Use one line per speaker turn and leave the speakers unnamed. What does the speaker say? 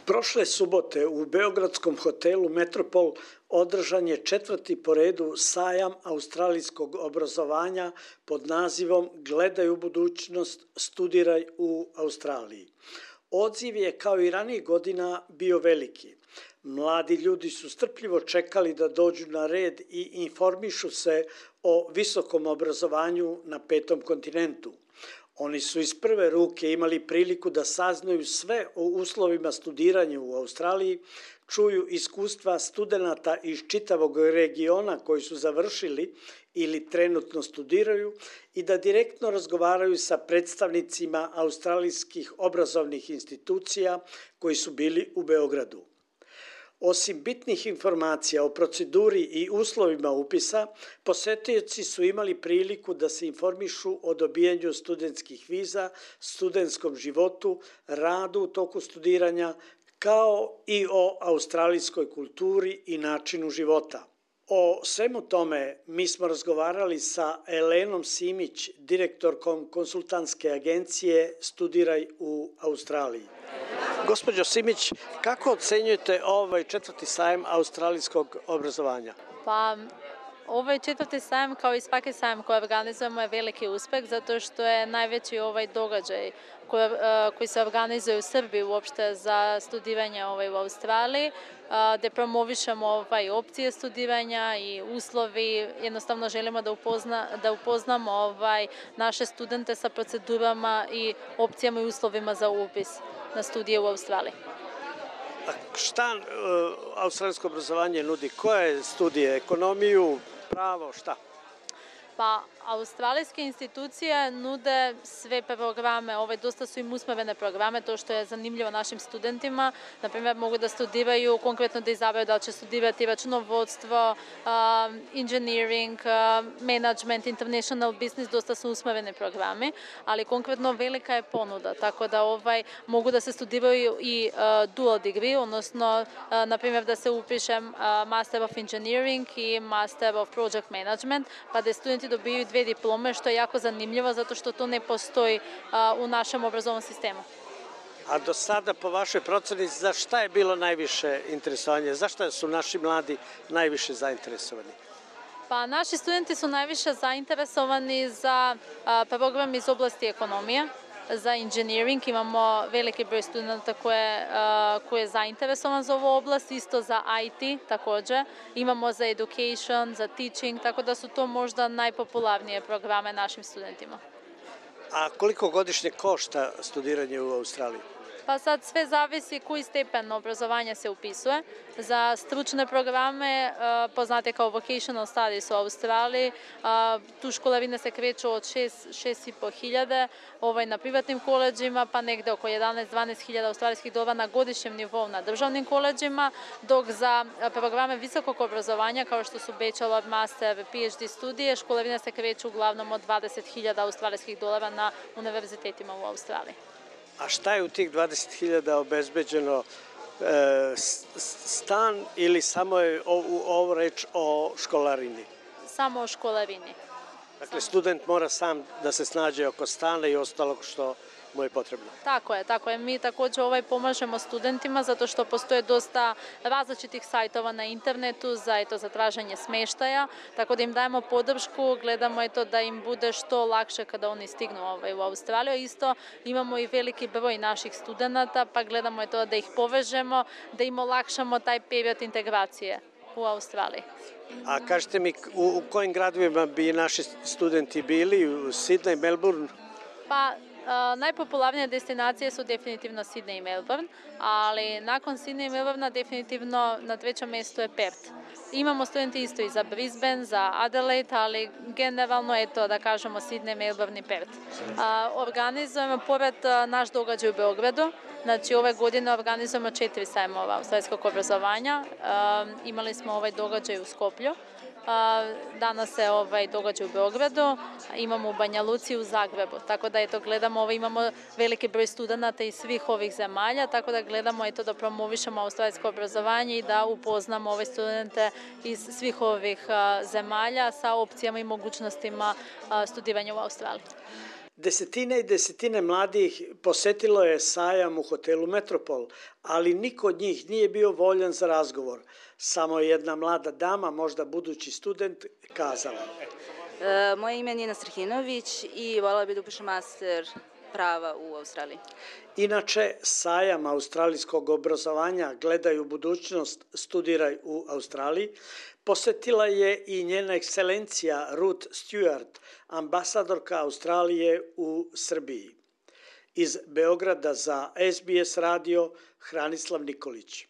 Prošle subote u beogradskom hotelu Metropol održan je 4. po redu sajam australijskog obrazovanja pod nazivom Gledaj u budućnost, studiraj u Australiji. Odziv je kao i ranijih godina bio veliki. Mladi ljudi su strpljivo čekali da dođu na red i informišu se o visokom obrazovanju na 5. kontinentu. Oni su iz prve ruke imali priliku da saznaju sve o uslovima studiranja u Australiji, čuju iskustva studenata iz čitavog regiona koji su završili ili trenutno studiraju i da direktno razgovaraju sa predstavnicima australijskih obrazovnih institucija koji su bili u Beogradu. Osim bitnih informacija o proceduri i uslovima upisa, posetioci su imali priliku da se informišu o dobijanju studentskih viza, studentskom životu, radu u toku studiranja, kao i o australijskoj kulturi i načinu života. O svemu tome mi smo razgovarali sa Elenom Simić, direktorkom konsultantske agencije Studiraj u Australiji. Gospođo Simić, kako ocenjujete ovaj 4. sajam australijskog obrazovanja?
Pa, ovaj 4. sajam, kao i svaki sajam koji organizujemo, je veliki uspeh zato što je najveći događaj koji se organizuje u Srbiji uopšte za studiranje u Australiji, gde promovišemo opcije studiranja i uslovi. Jednostavno želimo da upoznamo naše studente sa procedurama i opcijama i uslovima za upis na studije u Australiji.
A šta australijsko obrazovanje nudi? Koje studije? Ekonomiju, pravo, šta?
Pa, australijske institucije nude sve programe, dosta su im usmerene programe, to što je zanimljivo našim studentima. Naprimjer, mogu da studiraju, konkretno da izabraju da li će studirati računovodstvo, engineering, management, international business, dosta su usmereni programi, ali konkretno velika je ponuda, tako da mogu da se studiraju i dual degree, odnosno, naprimjer, da se upiše Master of Engineering i Master of Project Management, pa da studenti dobiju dve diplome, što je jako zanimljivo zato što to ne postoji u našem obrazovnom sistemu.
A do sada, po vašoj proceni, za šta je bilo najviše interesovanje? Zašto su naši mladi najviše zainteresovani?
Pa, naši studenti su najviše zainteresovani za program iz oblasti ekonomije. Za engineering imamo veliki broj studenta koji je zainteresovan za ovu oblast, isto za IT takođe. Imamo za education, za teaching, tako da su to možda najpopularnije programe našim studentima.
A koliko godišnje košta studiranje u Australiji?
Pa sad sve zavisi koji stepen obrazovanja se upisuje. Za stručne programe, poznate kao vocational studies u Australiji, tu školarine se kreću od 6.500 hiljada na privatnim koleđima, pa negde oko 11-12 hiljada australijskih dolara na godišnjem nivou na državnim koleđima, dok za programe visokog obrazovanja, kao što su bachelor, master, PhD studije, školarine se kreću uglavnom od 20 hiljada australijskih dolara na univerzitetima u Australiji.
A šta je u tih 20.000 obezbeđeno? Stan ili samo je ovo reč o školarini?
Samo o školarini.
Dakle, student mora sam da se snađe oko stana i ostalog što mu je potrebno.
Tako je. Mi takođe pomažemo studentima zato što postoje dosta različitih sajtova na internetu za traženje smeštaja, tako da im dajemo podršku, gledamo da im bude što lakše kada oni stignu u Australiju. Isto imamo i veliki broj naših studenata, pa gledamo da ih povežemo, da im olakšamo taj period integracije u Australiji.
A kažete mi, u kojim gradovima bi naši studenti bili? U Sydney, Melbourne?
Pa, najpopularnije destinacije su definitivno Sydney i Melbourne, ali nakon Sydney i Melbourne definitivno na trećem mestu je Perth. Imamo studenti isto i za Brisbane, za Adelaide, ali generalno da kažemo Sydney, Melbourne i Perth. Organizujemo pored naš događaj u Beogradu, znači ove godine organizujemo 4 sajmova australijskog obrazovanja. Imali smo ovaj događaj u Skoplju. Danas je događaj u Beogradu, imamo u Banja Luci i u Zagrebu, tako da gledamo, imamo veliki broj studenta iz svih ovih zemalja, tako da gledamo da promovišemo australijsko obrazovanje i da upoznamo ove studente iz svih ovih zemalja sa opcijama i mogućnostima studiranja u Australiji.
Desetine i desetine mladih posetilo je sajam u hotelu Metropol, ali niko od njih nije bio voljan za razgovor. Samo je jedna mlada dama, možda budući student, kazala.
Moje ime je Nina Strhinović i voljela bih da upišem master prava u Australiji.
Inače, sajam australijskog obrazovanja Gledaj u budućnost, studiraj u Australiji, posetila je i njena ekscelencija Ruth Stewart, ambasadorka Australije u Srbiji. Iz Beograda za SBS radio Hranislav Nikolić.